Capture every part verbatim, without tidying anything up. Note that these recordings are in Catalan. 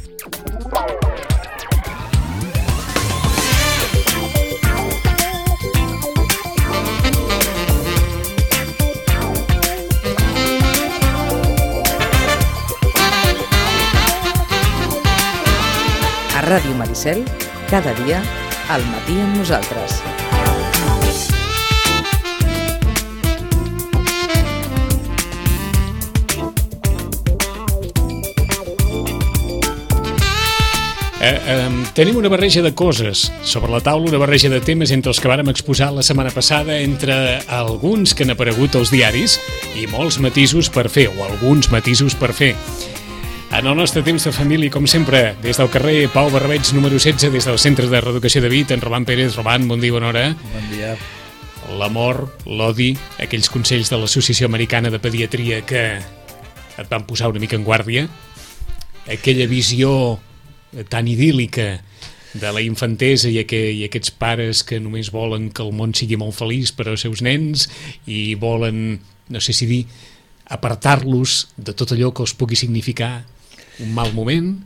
A Ràdio Maricel, cada dia, al matí amb nosaltres. Eh, eh, tenim una barreja de coses sobre la taula, una barreja de temes entre els que vàrem exposar la setmana passada, entre alguns que han aparegut als diaris i molts matisos per fer, o alguns matisos per fer. En el nostre temps de família, com sempre, des del carrer Pau Barbeig, número setze, des del Centre de Reeducació de Vic, en Roman Pérez. Roman, bon dia, bona hora. Bon dia. L'amor, l'odi, aquells consells de l'Associació Americana de Pediatria que et van posar una mica en guàrdia, aquella visió tan idíl·lica de la infantesa i, aqu i aquests pares que només volen que el món sigui molt feliç per als seus nens i volen, no sé si dir, apartar-los de tot allò que els pugui significar un mal moment.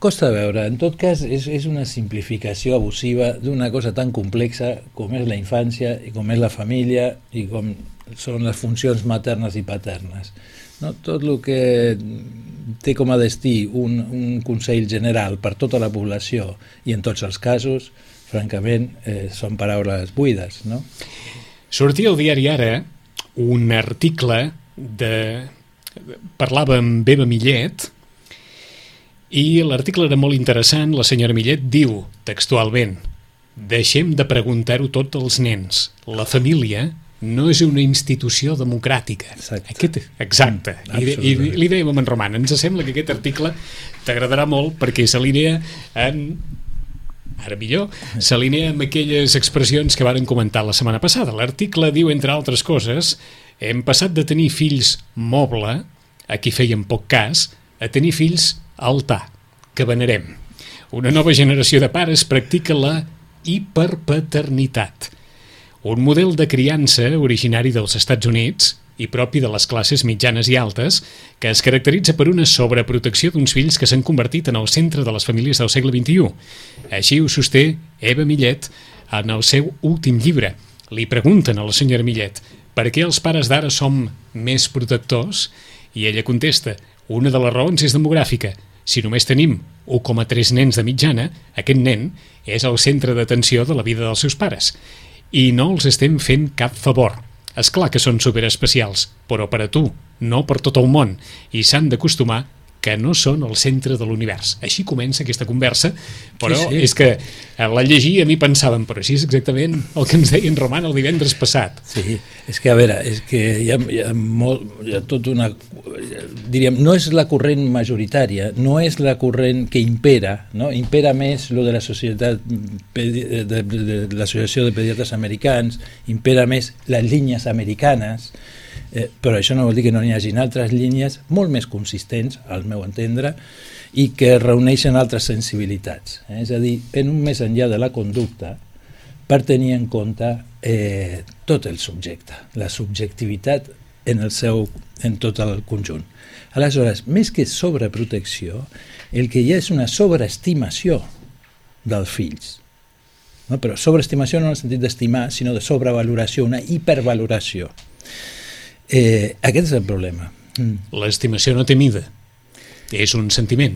Costa de veure. En tot cas, és, és una simplificació abusiva d'una cosa tan complexa com és la infància i com és la família i com són les funcions maternes i paternes. No? Tot el que té com a destí un, un consell general per tota la població i en tots els casos, francament, eh, són paraules buides, no? Sortia al diari Ara un article de... parlava amb Eva Millet i l'article era molt interessant. La senyora Millet diu textualment: deixem de preguntar-ho tot als nens. La família no és una institució democràtica. Exacte. Aquest, exacte. Mm, I, i li dèiem a en Roman, ens sembla que aquest article t'agradarà molt perquè s'alinea en... ara millor, s'alinea amb aquelles expressions que varen comentar la setmana passada. L'article diu, entre altres coses, hem passat de tenir fills moble, a qui feien poc cas, a tenir fills altar, que venerem. Una nova generació de pares practica la hiperpaternitat, un model de criança originari dels Estats Units i propi de les classes mitjanes i altes, que es caracteritza per una sobreprotecció d'uns fills que s'han convertit en el centre de les famílies del segle vint-i-u. Així ho sosté Eva Millet en el seu últim llibre. Li pregunten a la senyora Millet per què els pares d'ara som més protectors i ella contesta: una de les raons és demogràfica. Si només tenim u coma tres nens de mitjana, aquest nen és el centre d'atenció de la vida dels seus pares. I no els estem fent cap favor. És clar que són superespecials, però per a tu, no per tot el món, i s'han d'acostumar que no són el centre de l'univers. Així comença aquesta conversa, però sí, sí. És que la llegia a mi pensàvem, però així és exactament el que ens deia en Roman el divendres passat. Sí, és que a veure, és que hi ha, hi ha molt, hi ha tot una... diríem, no és la corrent majoritària, no és la corrent que impera, no? Impera més lo de la societat, de, de, de l'Associació de Pediatres Americans, impera més les línies americanes, Eh, però això no vol dir que no n'hi hagin altres línies molt més consistents, al meu entendre, i que reuneixen altres sensibilitats. Eh? És a dir, en un més enllà de la conducta, per tenir en compte eh, tot el subjecte, la subjectivitat en, el seu, en tot el conjunt. Aleshores, més que sobreprotecció, el que hi ha és una sobreestimació dels fills. No? Però sobreestimació no en el sentit d'estimar, sinó de sobrevaloració, una hipervaloració. Eh, aquest és el problema. Mm. L'estimació no té mida, és un sentiment.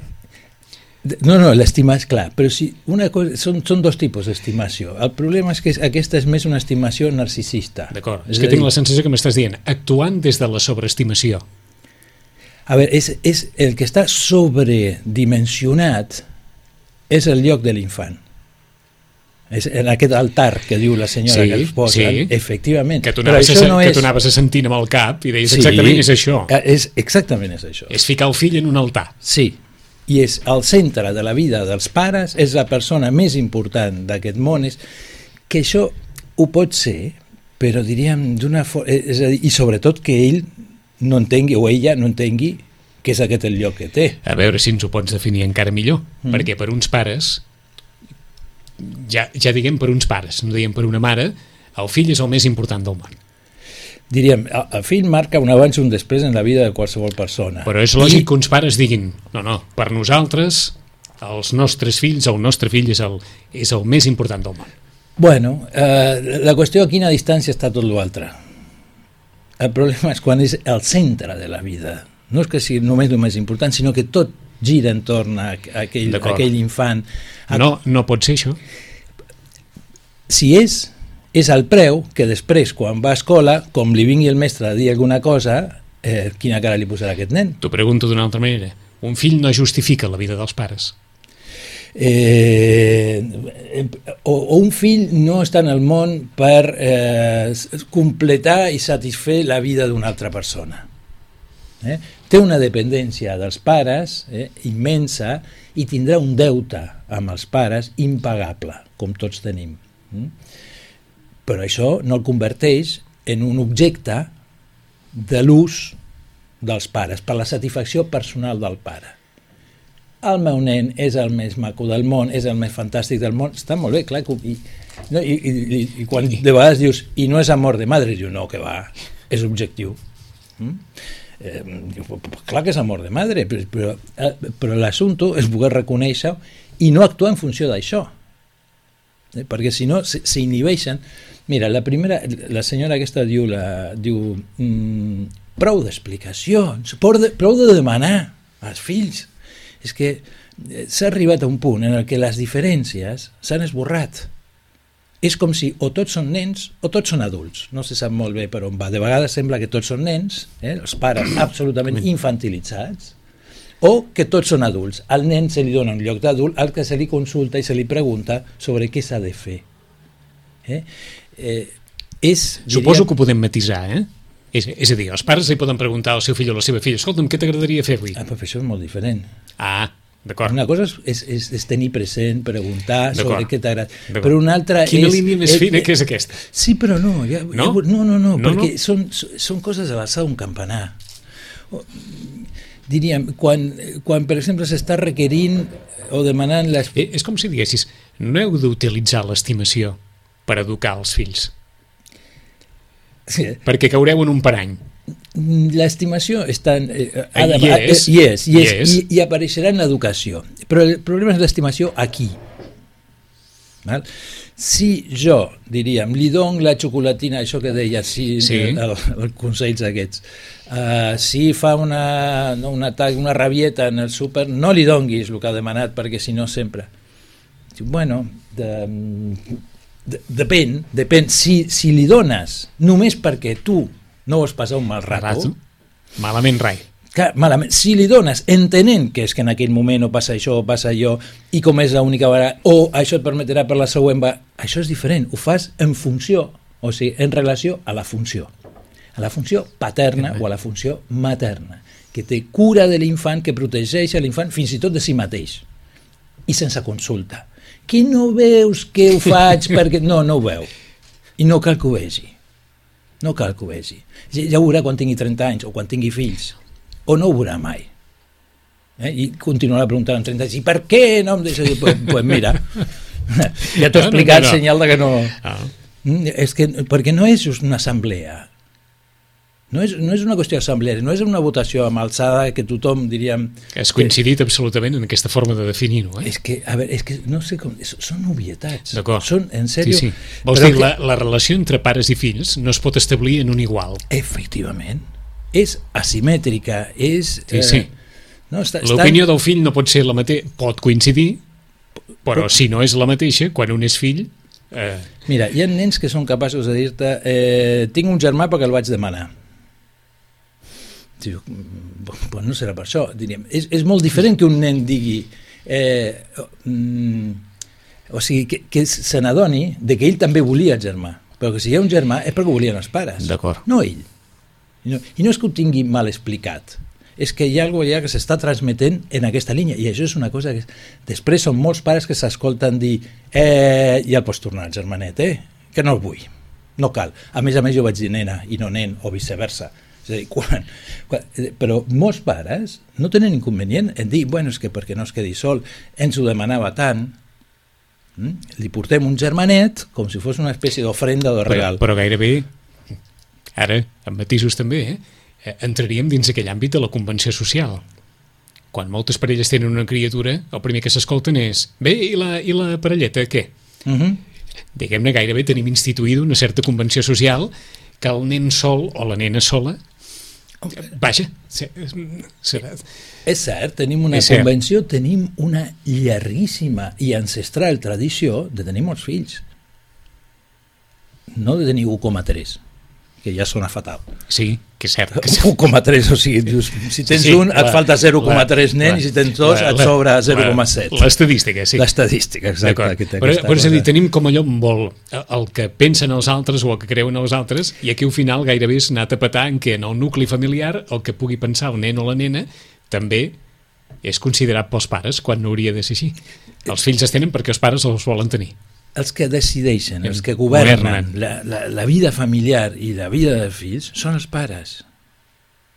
No, no, l'estimar és clar, però si una cosa, són, són dos tipus d'estimació. El problema és que aquesta és més una estimació narcisista. D'acord, és, és que tinc dir... la sensació que m'estàs dient, actuant des de la sobreestimació. A veure, és, és el que està sobredimensionat és el lloc de l'infant. És en aquest altar que diu la senyora sí, que els posen, sí. Efectivament. Que tu anaves, a, no és... que tu anaves a sentint amb el cap i deies sí, exactament és això. És, exactament és això. És ficar el fill en un altar. Sí, i és el centre de la vida dels pares, és la persona més important d'aquest món, és que això ho pot ser, però diríem d'una forma... És a dir, i sobretot que ell no entengui, o ella no entengui, que és aquest el lloc que té. A veure si ens ho pots definir encara millor, mm. perquè per uns pares... Ja, ja diguem per uns pares, no diguem per una mare, el fill és el més important del món. diríem, el fill marca un abans i un després en la vida de qualsevol persona. Però és lògic I... que uns pares diguin, no, no, per nosaltres, els nostres fills, el nostre fill és el, és el més important del món. Bueno, eh, la qüestió a quina distància està tot l'altre. El problema és quan és el centre de la vida. No és que sigui només el més important, sinó que tot gira entorn a aquell, a aquell infant. No, no pot ser això. Si és, és el preu que després, quan va a escola, com li vingui el mestre a dir alguna cosa, eh, quina cara li posarà aquest nen? T'ho pregunto d'una altra manera. Un fill no justifica la vida dels pares. Eh, o, o un fill no està en el món per eh, completar i satisfer la vida d'una altra persona. Eh? Té una dependència dels pares eh, immensa i tindrà un deute amb els pares impagable, com tots tenim. Mm? Però això no el converteix en un objecte de l'ús dels pares, per la satisfacció personal del pare. El meu nen és el més maco del món, és el més fantàstic del món, està molt bé, clar, i, no, i, i, i quan de vegades dius, i no és amor de madre, dius, no, que va, és objectiu. Mm? Eh, clar que és amor de madre, però, però, però l'assumpte és poder reconèixer i no actuar en funció d'això, eh, perquè si no s'inhibeixen. Mira, la primera, la senyora aquesta diu, la, diu mm, prou d'explicacions, prou de, prou de demanar als fills. És que s'ha arribat a un punt en el que les diferències s'han esborrat. És com si o tots són nens o tots són adults. No se sap molt bé per on va. De vegades sembla que tots són nens, eh? Els pares absolutament infantilitzats, o que tots són adults. Al nen se li dona un lloc d'adult al que se li consulta i se li pregunta sobre què s'ha de fer. Eh? Eh, és, Suposo diria... que ho podem matisar, eh? És, és a dir, els pares li poden preguntar al seu fill o a la seva filla, escolta'm, què t'agradaria fer avui? Ah, però això és molt diferent. Ah, d'acord. Una cosa és, és, és tenir present, preguntar sobre què t'agrada. Però una altra Quina és... línia més és, fina que és aquesta? Sí, però no. Ja, no? Ja, no, no, no, no, perquè no? Són, són coses a l'alçada d'un campanar. O, diríem, quan, quan per exemple s'està requerint o demanant... Les... Eh, és com si diguessis, no heu d'utilitzar l'estimació per educar els fills. Sí. Perquè caureu en un parany. L'estimació està... Eh, ha de, hi és, hi és, hi és, és. I, i apareixerà en l'educació. Però el problema és l'estimació aquí. Val? Si jo, diríem, li dono la xocolatina, això que deia, si, sí. el, el consells aquests, uh, si fa una, no, un atac, una rabieta en el súper, no li donguis el que ha demanat, perquè si no sempre... Bueno, de, de, depèn, depèn. Si, si li dones només perquè tu no vols passar un mal rato, rato? malament rai. Clar, malament. Si li dones entenent que és que en aquell moment no passa això o passa allò i com és l'única vegada o això et permetrà per la següent va... això és diferent, ho fas en funció, o sigui, en relació a la funció a la funció paterna o a la funció materna, que té cura de l'infant, que protegeix a l'infant fins i tot de si mateix i sense consulta. Que no veus que ho faig perquè... No, no ho veu i no cal que ho vegi. No cal que ho vegi. Ja ho veurà quan tingui trenta anys o quan tingui fills. O no ho veurà mai. Eh? I continuarà preguntant amb trenta anys, i per què no em deixa dir? Pues, pues mira, ja t'ho he explicat, no, no, no. Senyal de que no... Ah. És que, perquè no és just una assemblea. No és, no és una qüestió d'assemblea, no és una votació amb alçada que tothom, diríem... Has coincidit que... absolutament en aquesta forma de definir-ho, eh? És que, a veure, és que no sé com... Són obvietats. D'acord. Són, en sèrio... Sí, sí. Vols dir, que... la, la relació entre pares i fills no es pot establir en un igual. Efectivament. És asimètrica, és... Sí, sí. Eh, no, està, L'opinió està... del fill no pot ser la mateixa, pot coincidir, però, però si no és la mateixa, quan un és fill... Eh... Mira, hi ha nens que són capaços de dir-te eh, tinc un germà perquè el vaig demanar. Diu, pues no serà per això, diríem. És, és molt diferent que un nen digui eh, mm, o sigui, que, que se n'adoni de que ell també volia el germà, però que si hi ha un germà és perquè ho volien els pares, no ell. I no, i no és que ho tingui mal explicat, és que hi ha alguna cosa allà que s'està transmetent en aquesta línia, i això és una cosa que... Després són molts pares que s'escolten dir eh, ja el pots tornar, germanet, eh? Que no el vull, no cal. A més a més jo vaig dir nena i no nen, o viceversa. És a dir, quan, quan, però molts pares no tenen inconvenient en dir, bueno, és que perquè no es quedi sol, ens ho demanava tant, hm? Li portem un germanet com si fos una espècie d'ofrenda o de regal. Però, però gairebé Ara, amb matisos també, eh? entraríem dins aquell àmbit de la convenció social. Quan moltes parelles tenen una criatura, el primer que s'escolten és bé, i la, i la parelleta, què? Uh -huh. Diguem-ne, gairebé tenim instituïda una certa convenció social que el nen sol o la nena sola, vaja, serà... És cert, tenim una és convenció, cert. Tenim una llarguíssima i ancestral tradició de tenir molts fills. No de tenir u coma tres, que ja sona fatal. Sí, que és cert. u coma tres, o sigui, dius, si tens sí, un, la, et falta zero coma tres nens, i si tens dos, la, et sobra zero coma set. L'estadística, sí. L'estadística, exacte. Però, però és a dir, tenim com allò molt el que pensen els altres o el que creuen els altres, i aquí al final gairebé és anar a petar en què en el nucli familiar el que pugui pensar el nen o la nena també és considerat pels pares, quan no hauria de ser així. Els fills es tenen perquè els pares els volen tenir. Els que decideixen, els que governen la, la, la vida familiar i la vida dels fills són els pares.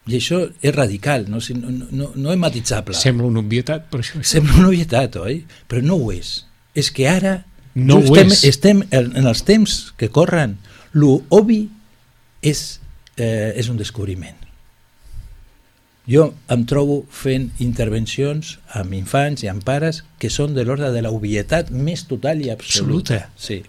I això és radical, no, no, no, no és matitzable. Sembla una obvietat, però això... Sembla una obvietat, oi? Però no ho és. És que ara no ho estem, és. estem en els temps que corren, l'obvi és, eh, és un descobriment. Jo em trobo fent intervencions amb infants i amb pares que són de l'ordre de l'obvietat més total i absoluta. Absoluta. Sí.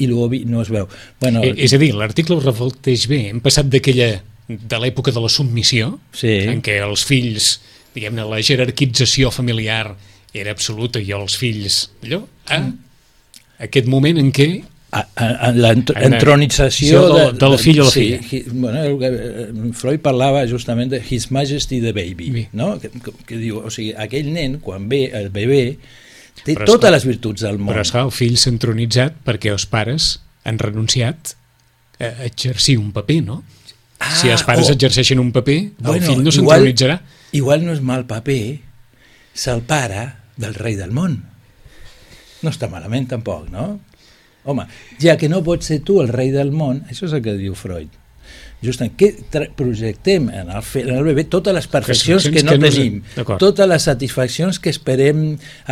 I l'obvi no es veu. Bueno, eh, és a dir, l'article ho reflecteix bé. Hem passat d'aquella, de l'època de la submissió, sí. en què els fills, diguem-ne, la jerarquització familiar era absoluta i els fills, allò, a mm. aquest moment en què l'entronització del, del fill o la filla. Sí, bueno, Freud parlava justament de His Majesty the Baby, sí. no? que, que, que diu, o sigui, aquell nen, quan ve el bebè, té però totes esclar, les virtuts del món. Però esclar, el fill s'ha entronitzat perquè els pares han renunciat a exercir un paper, no? Ah, si els pares oh. exerceixen un paper, bueno, el fill no s'entronitzarà. Igual no és mal paper ser el pare del rei del món. No està malament tampoc, no? Home, ja que no pots ser tu el rei del món, això és el que diu Freud. Justament, que projectem en el, en el bebè totes les perfeccions que no que tenim, no totes les satisfaccions que esperem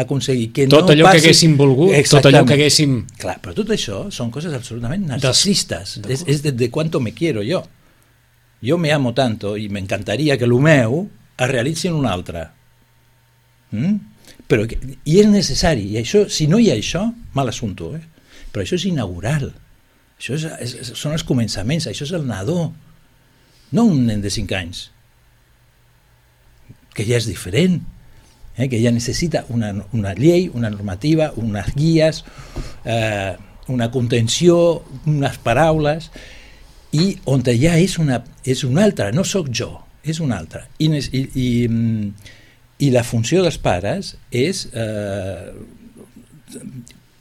aconseguir. Que tot no allò passi... que haguéssim volgut, tot allò que haguéssim... Clar, però tot això són coses absolutament narcisistes. És, és de, de cuánto me quiero yo. Jo me amo tanto i m'encantaria que el meu es realitzi en un altre. Mm? Però, i és necessari, i això, si no hi ha això, mal assumpte, eh? Però això és inaugural, això és, és, són els començaments, això és el nadó, no un nen de cinc anys, que ja és diferent, eh? que ja necessita una, una llei, una normativa, unes guies, eh, una contenció, unes paraules, i on ja és una, és una altra, no sóc jo, és una altra. I, i, i, i la funció dels pares és... Eh,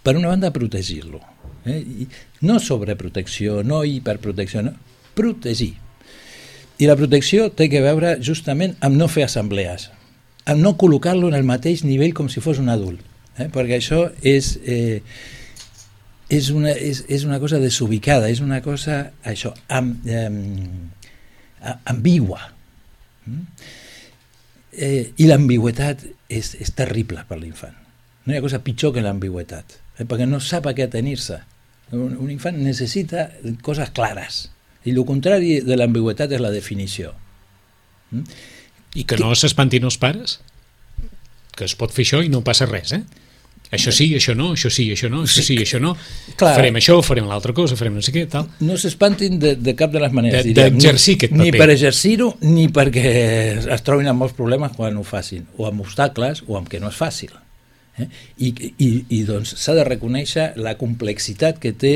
per una banda, protegir-lo. Eh? No sobreprotecció, no hiperprotecció, no. Protegir. I la protecció té que veure justament amb no fer assemblees, amb no col·locar-lo en el mateix nivell com si fos un adult, eh? perquè això és, eh, és, una, és, és una cosa desubicada, és una cosa això, amb, eh, ambigua. Eh, I l'ambigüetat és, és terrible per l'infant. No hi ha cosa pitjor que l'ambigüetat, eh, perquè no sap a què atenir-se. Un, un infant necessita coses clares, i el contrari de l'ambigüetat és la definició. Mm? I que, que no s'espantin els pares, que es pot fer això i no passa res, eh? Això sí, això no, això sí, això no, això sí, això no. Clar, farem això, farem l'altra cosa, farem no sé què, tal. No s'espantin de, de cap de les maneres. D'exercir aquest paper. Ni per exercir-ho, ni perquè es trobin amb molts problemes quan ho facin, o amb obstacles, o amb que no és fàcil. Eh? I, i, i doncs s'ha de reconèixer la complexitat que té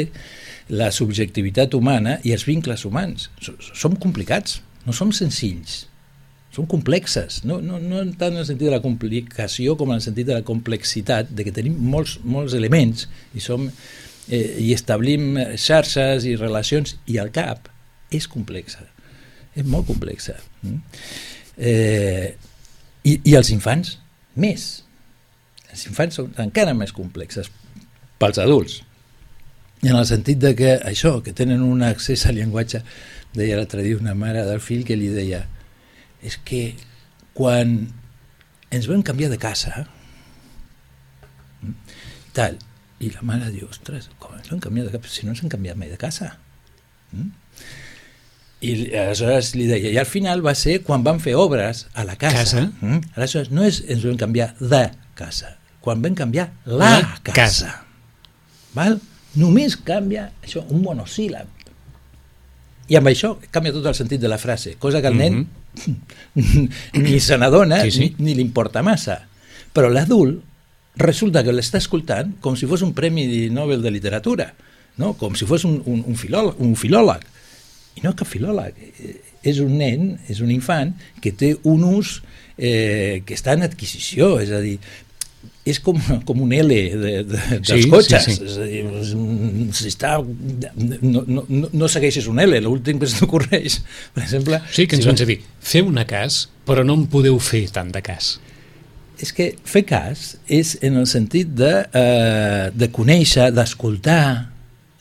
la subjectivitat humana i els vincles humans. Som complicats, no som senzills. Són complexes, no, no, no tant en el sentit de la complicació com en el sentit de la complexitat, de que tenim molts, molts elements i, som, eh, i establim xarxes i relacions, i el cap és complexa, és molt complexa. Eh, i, I els infants, més. Els infants són encara més complexes pels adults, en el sentit de que això, que tenen un accés al llenguatge, deia l'altre dia una mare del fill que li deia: és que quan ens vam canviar de casa tal, i la mare diu, ostres, com ens vam canviar de casa? Si no ens hem canviat mai de casa. I aleshores li deia, i al final va ser quan van fer obres a la casa. Casa. Mm? Aleshores no és ens vam canviar de casa, quan vam canviar la, la casa. casa. Val? Només canvia això, un monosíl·lab. I amb això canvia tot el sentit de la frase, cosa que el nen mm-hmm. ni se n'adona sí, sí. ni, ni li importa massa. Però l'adult resulta que l'està escoltant com si fos un premi Nobel de literatura, no? Com si fos un, un, un, filòleg, un filòleg. I no cap filòleg, és un nen, és un infant que té un ús eh, que està en adquisició, és a dir, és com, com un L de, de, dels sí, cotxes, sí, sí. és a dir, si està, no, no, no segueixes un L, l'últim que s'ocorreix, per exemple... Sí, que ens si van dir, feu una cas, però no en podeu fer tant de cas. És que fer cas és en el sentit de, eh, de conèixer, d'escoltar,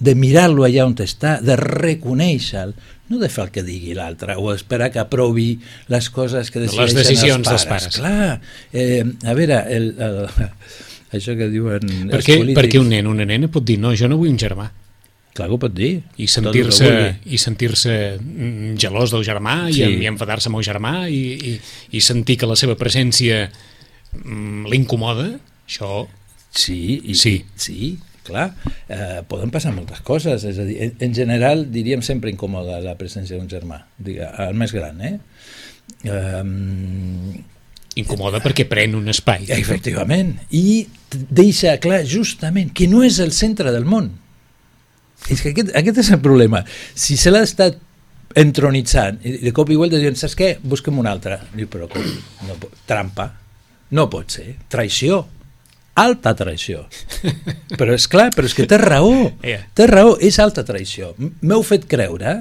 de mirar-lo allà on està, de reconèixer-lo, no de fer el que digui l'altre o esperar que aprovi les coses que decideixen les decisions els pares. dels pares. Clar, eh, a veure, el, el, això que diuen per els què, polítics... Perquè un nen, una nena pot dir, no, jo no vull un germà. Clar que ho pot dir. I sentir-se i sentir-se gelós del germà sí. i, i enfadar-se amb el germà i, i, i sentir que la seva presència mm, l'incomoda, això... Sí, i, sí. sí. Clar, eh, poden passar moltes coses, és a dir, en, en general diríem sempre incòmoda la presència d'un germà, digue, el més gran, eh? Um, Incomoda perquè pren un espai. Efectivament, i deixa clar justament que no és el centre del món. És que aquest, aquest és el problema. Si se l'ha estat entronitzant, i de cop i volta diuen, saps què? Busquem un altre. Diu, però com? No, trampa. No pot ser. Traïció. Alta traïció. Però és clar, però és que té raó. Yeah. Té raó, és alta traïció. M'heu fet creure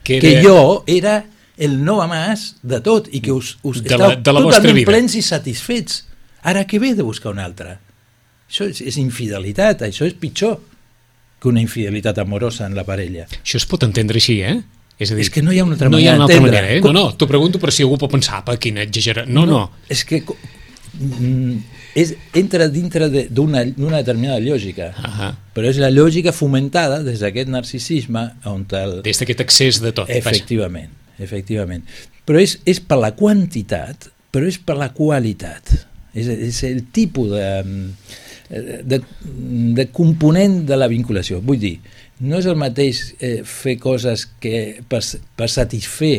que, era... que jo era el no a más de tot i que us, us estàu totalment plens i satisfets. Ara què ve de buscar un altre? Això és, és infidelitat, això és pitjor que una infidelitat amorosa en la parella. Això es pot entendre així, eh? És a dir, és que no hi ha una altra no manera d'entendre. No hi ha una altra manera, eh? Com... No, no, t'ho pregunto per si algú pot pensar, pa, quina exagera... No, no. no és que... És, entra dintre d'una determinada lògica, uh-huh. però és la lògica fomentada des d'aquest narcisisme on el... des d'aquest excés de tot. Efectivament, efectivament. Però és, és per la quantitat, però és per la qualitat. És, és el tipus de, de, de component de la vinculació. Vull dir, no és el mateix eh, fer coses que per, per satisfer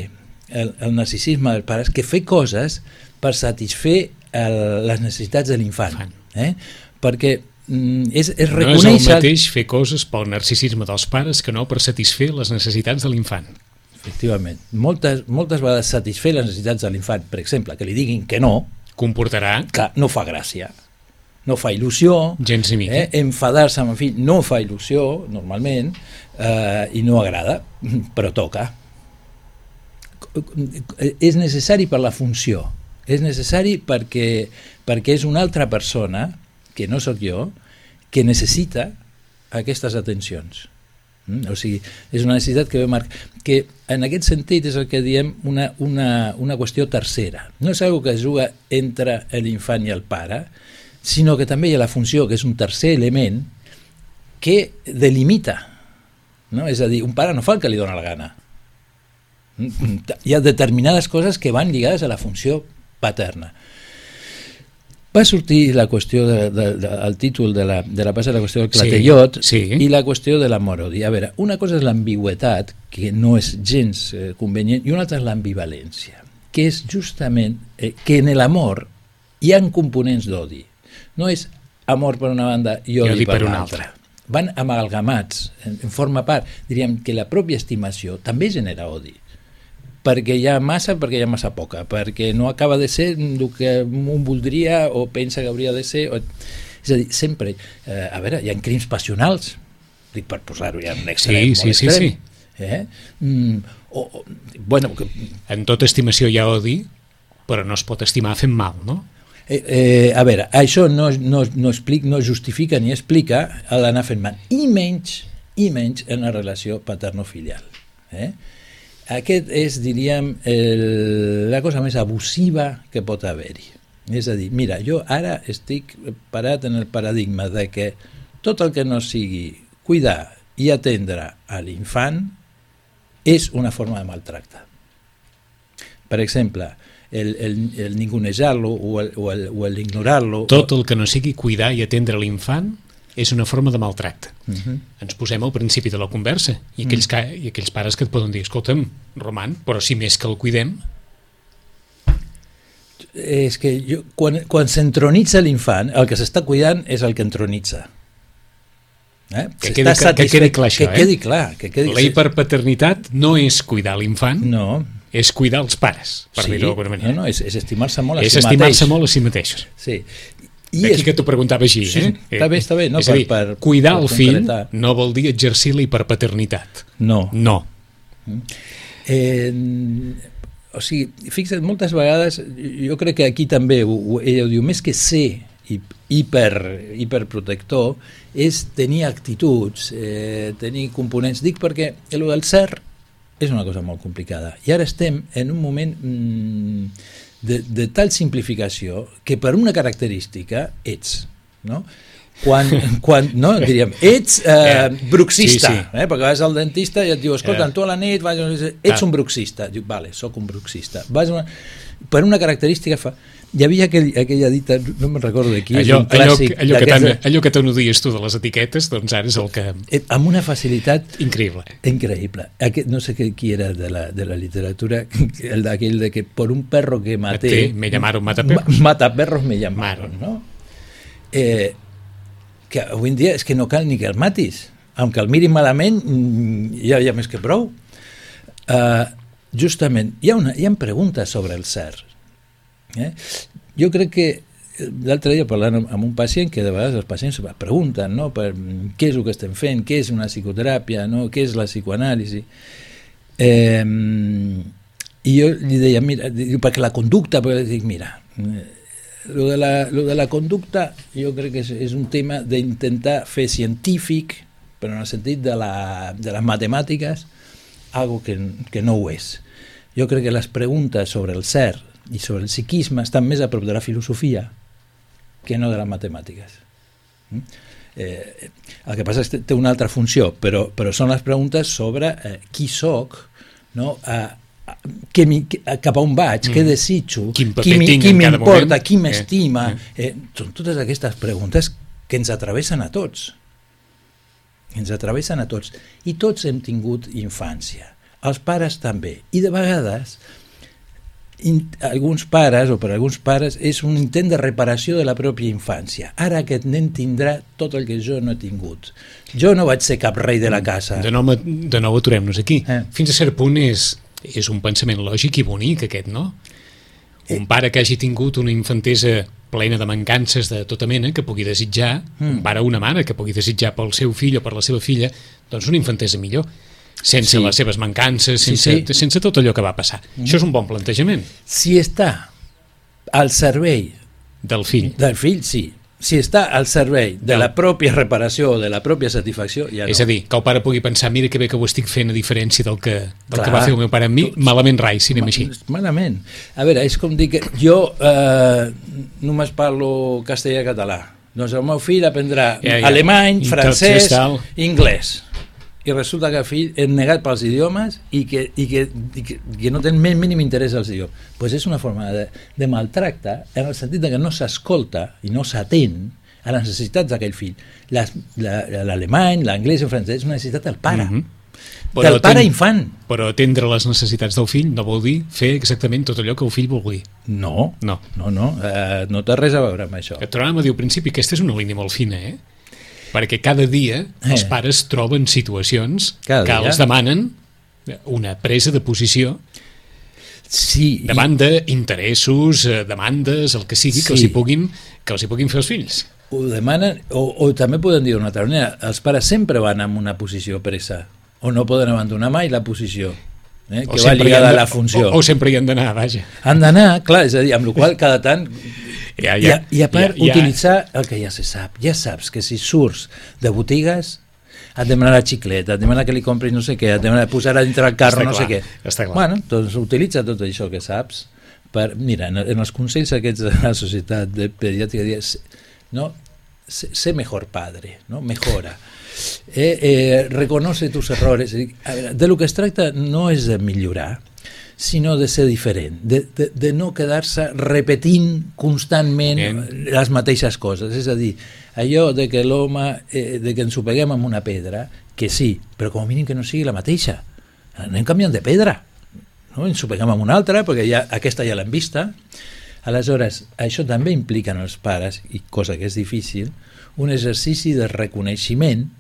el, el narcisisme dels pares que fer coses per satisfer el, les necessitats de l'infant. Eh? Perquè mm, és, és reconèixer... No és el mateix fer coses pel narcisisme dels pares que no per satisfer les necessitats de l'infant. Efectivament. Moltes, moltes vegades satisfer les necessitats de l'infant, per exemple, que li diguin que no, comportarà... Clar, no fa gràcia, no fa il·lusió, gens ni mica. Eh? Enfadar-se amb el fill no fa il·lusió, normalment, eh, i no agrada, però toca. És necessari per la funció, és necessari perquè, perquè és una altra persona, que no sóc jo, que necessita aquestes atencions. Mm? O sigui, és una necessitat que ve marcar, que en aquest sentit és el que diem una, una, una qüestió tercera. No és una que es juga entre l'infant i el pare, sinó que també hi ha la funció, que és un tercer element, que delimita. No? És a dir, un pare no fa el que li dóna la gana. Hi ha determinades coses que van lligades a la funció paterna. Va sortir la qüestió de, de, de, el títol de la, de la passa la qüestió del clatellot sí, sí. i la qüestió de l'amor-odi. A veure, una cosa és l'ambigüetat, que no és gens eh, convenient, i una altra és l'ambivalència, que és justament eh, que en l'amor hi ha components d'odi. No és amor per una banda i odi, odi per, per una altra. altra. Van amalgamats, en, en forma part. Diríem que la pròpia estimació també genera odi. Perquè hi ha massa, perquè hi ha massa poca, perquè no acaba de ser el que un voldria o pensa que hauria de ser. O... És a dir, sempre, eh, a veure, hi ha crims passionals, dic per posar-ho ja en un extrem, sí, sí, extrem. Sí, sí. Eh? Mm, o, o, bueno, que... En tota estimació hi ha odi, però no es pot estimar fent mal, no? Eh, eh, a veure, això no, no, no, explica, no justifica ni explica l'anar fent mal, i menys, i menys en la relació paterno-filial. Eh? Aquest és, diríem, el, la cosa més abusiva que pot haver-hi. És a dir, mira, jo ara estic parat en el paradigma de que tot el que no sigui cuidar i atendre a l'infant és una forma de maltracte. Per exemple, el, el, el ningunejar-lo o el, o el, o el ignorar-lo... Tot el que no sigui cuidar i atendre l'infant és una forma de maltracte. Uh-huh. Ens posem al principi de la conversa i aquells, ca... i aquells pares que et poden dir, escolta'm, Roman, però si més que el cuidem... És que jo, quan, quan s'entronitza l'infant, el que s'està cuidant és el que entronitza. Eh? Que, quedi, que, que quedi clar això, que quedi clar, que quedi... La hiperpaternitat no és cuidar l'infant, no. és cuidar els pares, per sí, dir-ho d'alguna manera. No, no, és, és estimar-se molt a és si mateix. És estimar-se molt a si mateixos. Sí. I D'aquí és... que t'ho preguntava així. Sí, eh? Està bé, està bé. No, és a dir, per, per, cuidar per el fill concretar. no vol dir exercir la hiperpaternitat. No. No. Eh, o sigui, fixa't, moltes vegades, jo crec que aquí també, ho, ella ho diu, més que ser hiper, hiperprotector, és tenir actituds, eh, tenir components. Dic perquè el del ser és una cosa molt complicada. I ara estem en un moment mmm, de, de tal simplificació que per una característica ets, no? Quan, quan no, diríem, ets eh, bruxista, sí, sí. Eh, perquè vas al dentista i et diu, escolta, tu a la nit vas, ets ah. un bruxista. Diu, vale, soc un bruxista. Vas una, per una característica fa... Hi havia aquell, aquella dita, no me'n recordo de qui, allò, és un clàssic... Allò, allò, que tan, allò que tant odies tu de les etiquetes, doncs ara és el que... Amb una facilitat... Increïble. Increïble. Aquest, no sé qui era de la, de la literatura, el d'aquell de que por un perro que maté... Me llamaron mataperros. Mataperros me llamaron, no? Eh, que avui en dia és que no cal ni que el matis, aunque el mirin malament ja hi ha més que prou. Uh, justament, hi ha, una, hi ha preguntes sobre el ser. Eh? Jo crec que l'altre dia parlant amb un pacient, que de vegades els pacients pregunten, no? Per què és el que estem fent, què és una psicoteràpia, no? Què és la psicoanàlisi, eh, i jo li deia, mira, perquè la conducta, perquè dic, mira, lo de, la, lo de la conducta jo crec que és, és un tema d'intentar fer científic, però en el sentit de, la, de les matemàtiques, algo que, que no ho és. Jo crec que les preguntes sobre el ser i sobre el psiquisme estan més a prop de la filosofia que no de les matemàtiques. Eh, el que passa és que té una altra funció, però, però són les preguntes sobre eh, qui soc, no? Eh, que mi, que, cap a on vaig, mm. què desitjo, qui, qui, qui m'importa, qui m'estima, eh, eh, són totes aquestes preguntes que ens travessen a tots, ens travessen a tots, i tots hem tingut infància, els pares també, i de vegades in, alguns pares, o per alguns pares, és un intent de reparació de la pròpia infància. Ara aquest nen tindrà tot el que jo no he tingut. Jo no vaig ser cap rei de la casa. De nou, de nou aturem-nos aquí. Eh. Fins a cert punt és és un pensament lògic i bonic aquest, no? Un pare que hagi tingut una infantesa plena de mancances de tota mena que pugui desitjar, mm. un pare o una mare que pugui desitjar pel seu fill o per la seva filla, doncs una infantesa millor, sense sí. les seves mancances, sense, sí, sí. sense tot allò que va passar. Mm. Això és un bon plantejament. Si està al servei del fill, del fill sí. Si està al servei de la pròpia reparació o de la pròpia satisfacció, ja no. És a dir, que el pare pugui pensar, mira que bé que ho estic fent a diferència del que, del Clar, que va fer el meu pare amb mi, malament rai, si anem així. Malament. A veure, és com dir que jo eh, només parlo castellà-català. Doncs el meu fill aprendrà ja, ja. alemany, I francès, anglès. I resulta que el fill és negat pels idiomes i que, i que, i que, que no té el més mínim interès als idiomes. Doncs pues és una forma de, de maltracte en el sentit que no s'escolta i no s'atén a les necessitats d'aquell fill. L'alemany, l'anglès i el francès és una necessitat del pare. Mm-hmm. Del pare ten, infant. Però atendre les necessitats del fill no vol dir fer exactament tot allò que el fill vulgui. No, no, no, no, uh, no té res a veure amb això. Et tornàvem a dir al principi, aquesta és una línia molt fina, eh? Perquè cada dia els eh. pares troben situacions cada que dia. els demanen una presa de posició sí, davant i... d'interessos, demandes, el que sigui, sí. que, els hi puguin, que els hi puguin fer els fills. Ho demanen, o, o també poden dir d'una altra manera, els pares sempre van en una posició presa, o no poden abandonar mai la posició. Eh, que va lligada a la funció. O, o sempre hi han d'anar, vaja. Han d'anar, clar, és a dir, amb la qual cada tant... Ja, ja, I, a, I a part, ja, ja. utilitzar el que ja se sap. Ja saps que si surts de botigues et demanar la xicleta, et demanar que li compris no sé què, et demanar posar a dintre el carro està no clar, sé què. Està clar. Bueno, doncs utilitza tot això que saps. Per, mira, en, en els consells aquests de la Societat de Pediàtrica dius, no, sé mejor padre, ¿no? Mejora. Eh, eh, reconoce tus errores. A veure, de lo que es tracta no és de millorar, sinó de ser diferent, de, de, de no quedar-se repetint constantment Bien. les mateixes coses. És a dir, allò de que l'home, eh, de que ens ho peguem amb una pedra, que sí, però com a mínim que no sigui la mateixa. Anem canviant de pedra, no? Ens ho peguem amb una altra, perquè ja, aquesta ja l'hem vista. Aleshores, això també implica en els pares, i cosa que és difícil, un exercici de reconeixement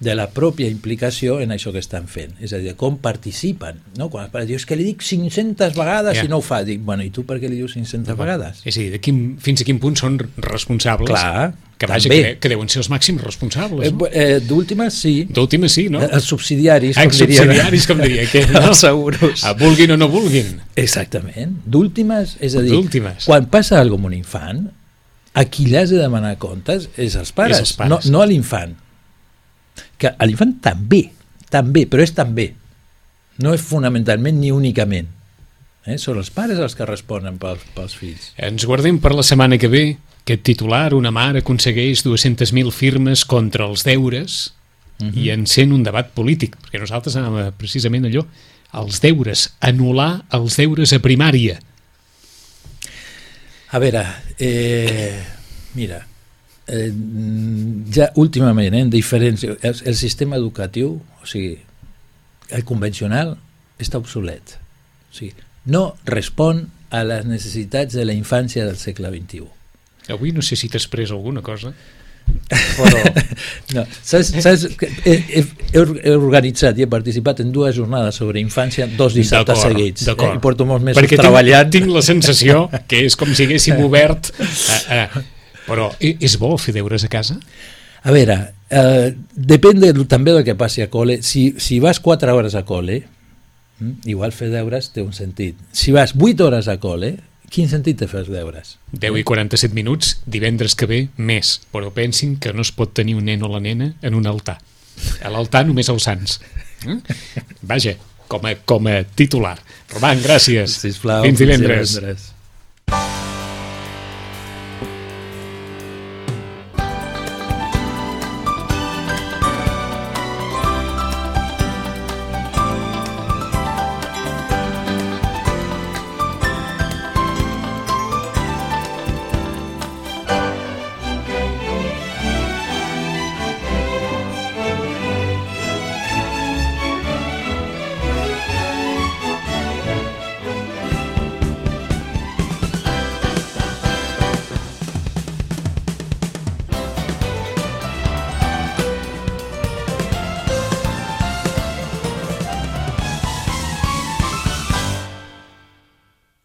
de la pròpia implicació en això que estan fent, és a dir, com participen, no? Quan els pares diuen, és que li dic cinc-centes vegades yeah. i no ho fa, dic, bueno, i tu per què li dius cinc-centes no, vegades? És a dir, de quin, fins a quin punt són responsables? Clar, que vaja, que, que deuen ser els màxims responsables, no? Eh, D'últimes sí. D'últimes sí, no? Els subsidiaris, com els diria. subsidiaris, com diria aquell, no? Els seguros. A vulguin o no vulguin. Exactament. D'últimes, és a dir, quan passa alguna cosa amb un infant, a qui li has de demanar comptes és als pares, és els pares. No, no a l'infant. Que a l'infant també, també, però és també. No és fonamentalment ni únicament. Eh? Són els pares els que responen pels, pels fills. Ens guardem per la setmana que ve aquest titular, una mare aconsegueix dues-centes mil firmes contra els deures uh-huh. i encén un debat polític, perquè nosaltres anàvem precisament allò, els deures, anul·lar els deures a primària. A veure, eh, mira, Eh, ja últimament eh, en diferents el, el sistema educatiu, o sigui, el convencional està obsolet, o sigui, no respon a les necessitats de la infància del segle vint-i-u. Avui no sé si t'has pres alguna cosa, però no, saps, saps que he, he, he organitzat i he participat en dues jornades sobre infància dos dissabtes seguits, eh, i porto molts mesos perquè treballant. Tinc, tinc la sensació que és com si haguéssim obert a, a però és bo fer deures a casa? A veure, eh, depèn de, també del que passi a col·le. Si, si vas quatre hores a col·le, igual fer deures té un sentit. Si vas vuit hores a col·le, quin sentit té fer els deures? deu i quaranta-set minuts, divendres que ve, més. Però pensin que no es pot tenir un nen o la nena en un altar. A l'altar només els sants. Vaja, com a, com a titular. Roman, gràcies. Sisplau, fins divendres. Fins divendres.